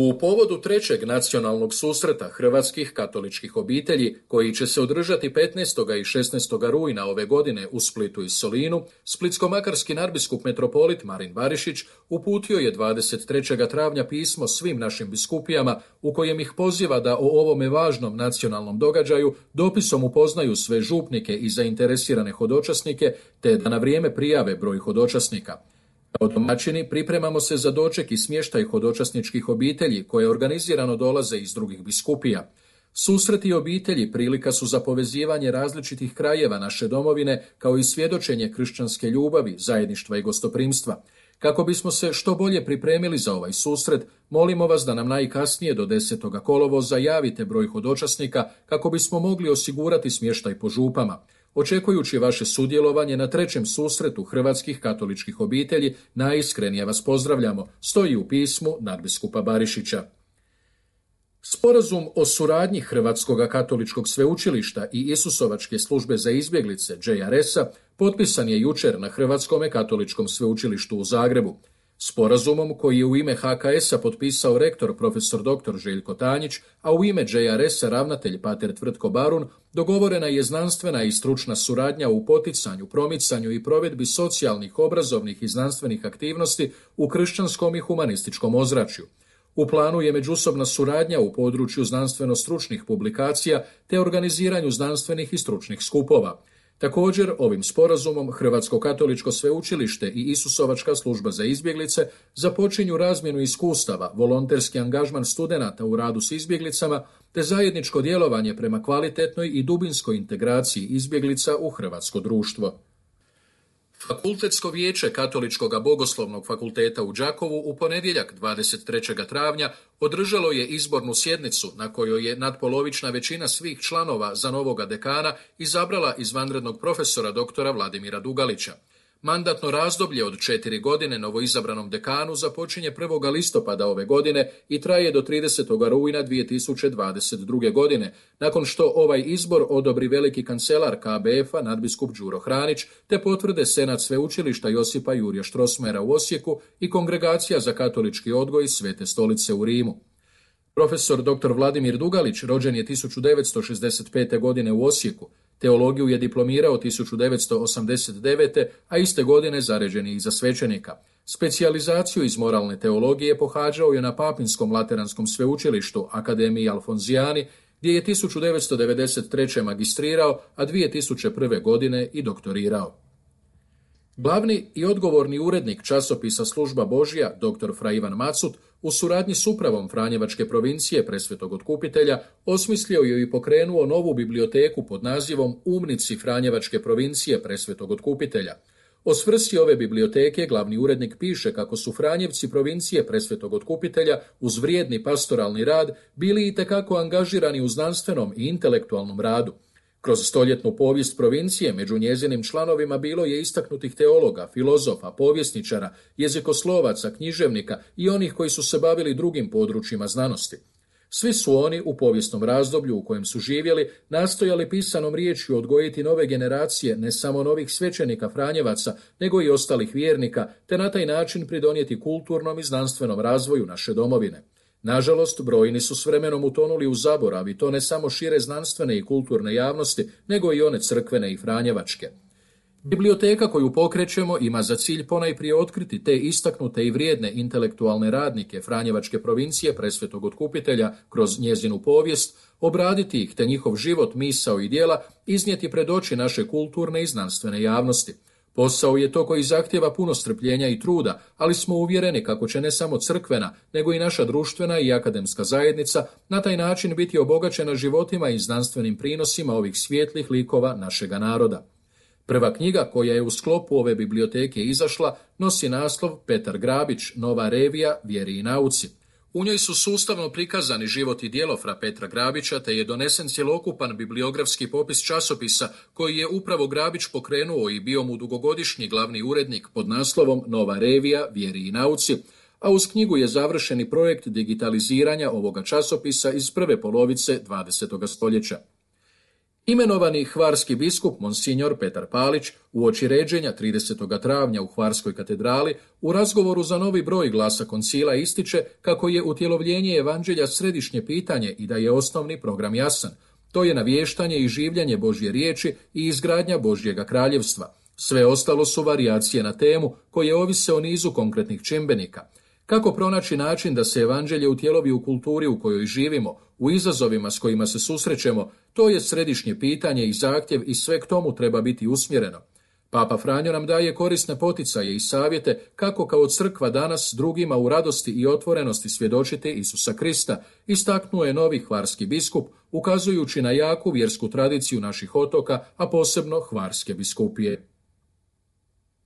U povodu trećeg nacionalnog susreta hrvatskih katoličkih obitelji, koji će se održati 15. i 16. rujna ove godine u Splitu i Solinu, splitsko-makarski nadbiskup metropolit Marin Barišić uputio je 23. travnja pismo svim našim biskupijama u kojem ih poziva da o ovome važnom nacionalnom događaju dopisom upoznaju sve župnike i zainteresirane hodočasnike, te da na vrijeme prijave broj hodočasnika. Kao domaćini pripremamo se za doček i smještaj hodočasničkih obitelji koje organizirano dolaze iz drugih biskupija. Susreti obitelji prilika su za povezivanje različitih krajeva naše domovine kao i svjedočenje kršćanske ljubavi, zajedništva i gostoprimstva. Kako bismo se što bolje pripremili za ovaj susret, molimo vas da nam najkasnije do 10. kolovoza javite broj hodočasnika kako bismo mogli osigurati smještaj po župama. Očekujući vaše sudjelovanje na trećem susretu hrvatskih katoličkih obitelji, najiskrenije vas pozdravljamo, stoji u pismu nadbiskupa Barišića. Sporazum o suradnji Hrvatskog katoličkog sveučilišta i Isusovačke službe za izbjeglice JRS-a potpisan je jučer na Hrvatskom katoličkom sveučilištu u Zagrebu. Sporazumom koji je u ime HKS-a potpisao rektor profesor dr. Željko Tanjić, a u ime JRS-a ravnatelj pater Tvrtko Barun, dogovorena je znanstvena i stručna suradnja u poticanju, promicanju i provedbi socijalnih, obrazovnih i znanstvenih aktivnosti u kršćanskom i humanističkom ozračju. U planu je međusobna suradnja u području znanstveno-stručnih publikacija te organiziranju znanstvenih i stručnih skupova. Također, ovim sporazumom Hrvatsko katoličko sveučilište i Isusovačka služba za izbjeglice započinju razmjenu iskustava, volonterski angažman studenata u radu s izbjeglicama te zajedničko djelovanje prema kvalitetnoj i dubinskoj integraciji izbjeglica u hrvatsko društvo. Fakultetsko vijeće Katoličkog bogoslovnog fakulteta u Đakovu u ponedjeljak 23. travnja održalo je izbornu sjednicu na kojoj je nadpolovična većina svih članova za novoga dekana izabrala izvanrednog profesora doktora Vladimira Dugalića. Mandatno razdoblje od 4 godine novoizabranom dekanu započinje 1. listopada ove godine i traje do 30. rujna 2022. godine, nakon što ovaj izbor odobri veliki kancelar KBF-a nadbiskup Đuro Hranić, te potvrde Senat sveučilišta Josipa Jurja Strossmayera u Osijeku i Kongregacija za katolički odgoj Svete stolice u Rimu. Profesor dr. Vladimir Dugalić rođen je 1965. godine u Osijeku. Teologiju je diplomirao 1989. a iste godine zaređen je i za svećenika. Specijalizaciju iz moralne teologije pohađao je na Papinskom lateranskom sveučilištu Akademiji Alfonzijani, gdje je 1993. magistrirao, a 2001. godine i doktorirao. Glavni i odgovorni urednik časopisa Služba Božja, dr. Fra Ivan Macut, u suradnji s upravom Franjevačke provincije Presvetog Otkupitelja osmislio je i pokrenuo novu biblioteku pod nazivom Umnici Franjevačke provincije Presvetog Otkupitelja. O svrsi ove biblioteke glavni urednik piše kako su Franjevci provincije Presvetog Otkupitelja uz vrijedni pastoralni rad bili itekako angažirani u znanstvenom i intelektualnom radu. Kroz stoljetnu povijest provincije među njezinim članovima bilo je istaknutih teologa, filozofa, povjesničara, jezikoslovaca, književnika i onih koji su se bavili drugim područjima znanosti. Svi su oni u povijesnom razdoblju u kojem su živjeli nastojali pisanom riječju odgojiti nove generacije ne samo novih svećenika Franjevaca, nego i ostalih vjernika, te na taj način pridonijeti kulturnom i znanstvenom razvoju naše domovine. Nažalost, brojni su s vremenom utonuli u zaborav i to ne samo šire znanstvene i kulturne javnosti, nego i one crkvene i franjevačke. Biblioteka koju pokrećemo ima za cilj ponajprije otkriti te istaknute i vrijedne intelektualne radnike Franjevačke provincije Presvetog Otkupitelja kroz njezinu povijest, obraditi ih te njihov život, misao i djela iznijeti pred oči naše kulturne i znanstvene javnosti. Posao je to koji zahtjeva puno strpljenja i truda, ali smo uvjereni kako će ne samo crkvena, nego i naša društvena i akademska zajednica na taj način biti obogaćena životima i znanstvenim prinosima ovih svijetlih likova našega naroda. Prva knjiga koja je u sklopu ove biblioteke izašla nosi naslov Petar Grabić, Nova revija, vjeri i nauci. U njoj su sustavno prikazani život i djelo fra Petra Grabića, te je donesen cjelokupan bibliografski popis časopisa koji je upravo Grabić pokrenuo i bio mu dugogodišnji glavni urednik pod naslovom Nova revija, vjeri i nauci, a uz knjigu je završeni projekt digitaliziranja ovoga časopisa iz prve polovice 20. stoljeća. Imenovani hvarski biskup Monsignor Petar Palić uoči ređenja 30. travnja u Hvarskoj katedrali u razgovoru za novi broj Glasa koncila ističe kako je utjelovljenje evanđelja središnje pitanje i da je osnovni program jasan. To je navještanje i življenje Božje riječi i izgradnja Božjega kraljevstva. Sve ostalo su varijacije na temu koje ovise o nizu konkretnih čimbenika. Kako pronaći način da se evanđelje utjelovi u kulturi u kojoj živimo, u izazovima s kojima se susrećemo, to je središnje pitanje i zahtjev i sve k tomu treba biti usmjereno. Papa Franjo nam daje korisne poticaje i savjete kako kao crkva danas drugima u radosti i otvorenosti svjedočiti Isusa Krista, istaknuo je novi hvarski biskup, ukazujući na jaku vjersku tradiciju naših otoka, a posebno Hvarske biskupije.